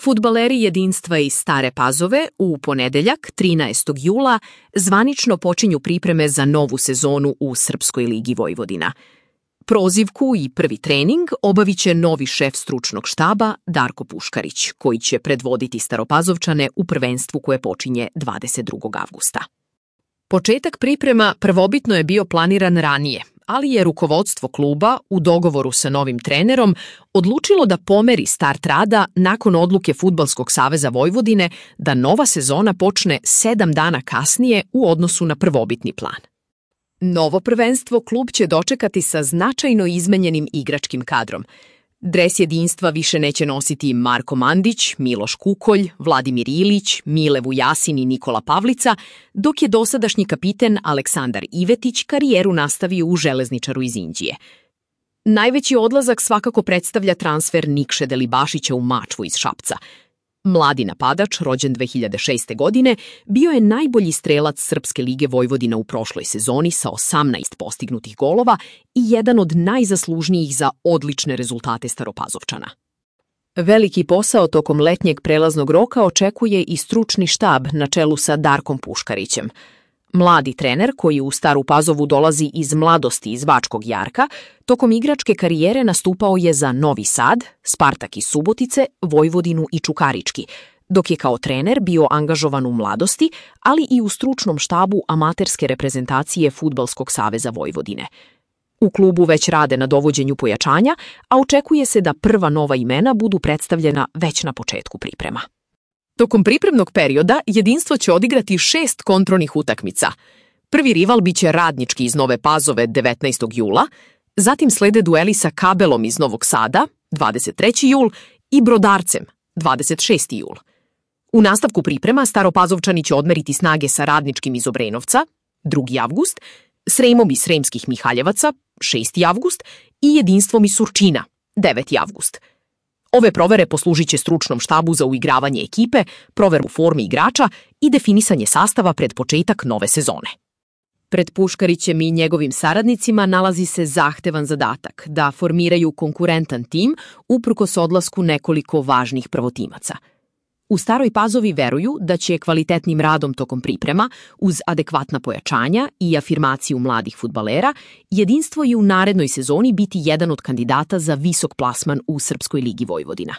Fudbaleri jedinstva iz Stare Pazove u ponedeljak, 13. jula, zvanično počinju pripreme za novu sezonu u Srpskoj ligi Vojvodina. Prozivku i prvi trening obavit će novi šef stručnog štaba Darko Puškarić, koji će predvoditi Staropazovčane u prvenstvu koje počinje 22. avgusta. Početak priprema prvobitno je bio planiran ranije, ali je rukovodstvo kluba u dogovoru sa novim trenerom odlučilo da pomeri start rada nakon odluke Fudbalskog saveza Vojvodine da nova sezona počne 7 dana kasnije u odnosu na prvobitni plan. Novo prvenstvo klub će dočekati sa značajno izmenjenim igračkim kadrom. Dres jedinstva više neće nositi Marko Mandić, Miloš Kukolj, Vladimir Ilić, Mile Vujasin i Nikola Pavlica, dok je dosadašnji kapiten Aleksandar Ivetić karijeru nastavio u Železničaru iz Inđije. Najveći odlazak svakako predstavlja transfer Nikše Delibašića u Mačvu iz Šapca. Mladi napadač, rođen 2006. godine, bio je najbolji strelac Srpske lige Vojvodina u prošloj sezoni sa 18 postignutih golova i jedan od najzaslužnijih za odlične rezultate Staropazovčana. Veliki posao tokom letnjeg prelaznog roka očekuje i stručni štab na čelu sa Darkom Puškarićem. Mladi trener, koji u Staru Pazovu dolazi iz mladosti iz Bačkog Jarka, tokom igračke karijere nastupao je za Novi Sad, Spartak iz Subotice, Vojvodinu i Čukarički, dok je kao trener bio angažovan u mladosti, ali i u stručnom štabu amaterske reprezentacije Fudbalskog saveza Vojvodine. U klubu već rade na dovođenju pojačanja, a očekuje se da prva nova imena budu predstavljena već na početku priprema. Tokom pripremnog perioda jedinstvo će odigrati 6 kontrolnih utakmica. Prvi rival biće Radnički iz Nove Pazove 19. jula, zatim slede dueli sa Kabelom iz Novog Sada 23. jul i Brodarcem 26. jul. U nastavku priprema Staropazovčani će odmeriti snage sa Radničkim iz Obrenovca 2. avgust, Sremom iz Sremskih Mihaljevaca 6. avgust i jedinstvom iz Surčina 9. avgust. Ove provere poslužit će stručnom štabu za uigravanje ekipe, proveru forme igrača i definisanje sastava pred početak nove sezone. Pred Puškarićem i njegovim saradnicima nalazi se zahtevan zadatak da formiraju konkurentan tim uprkos odlasku nekoliko važnih prvotimaca. U Staroj Pazovi veruju da će kvalitetnim radom tokom priprema, uz adekvatna pojačanja i afirmaciju mladih fudbalera, jedinstvo i u narednoj sezoni biti jedan od kandidata za visok plasman u Srpskoj ligi Vojvodina.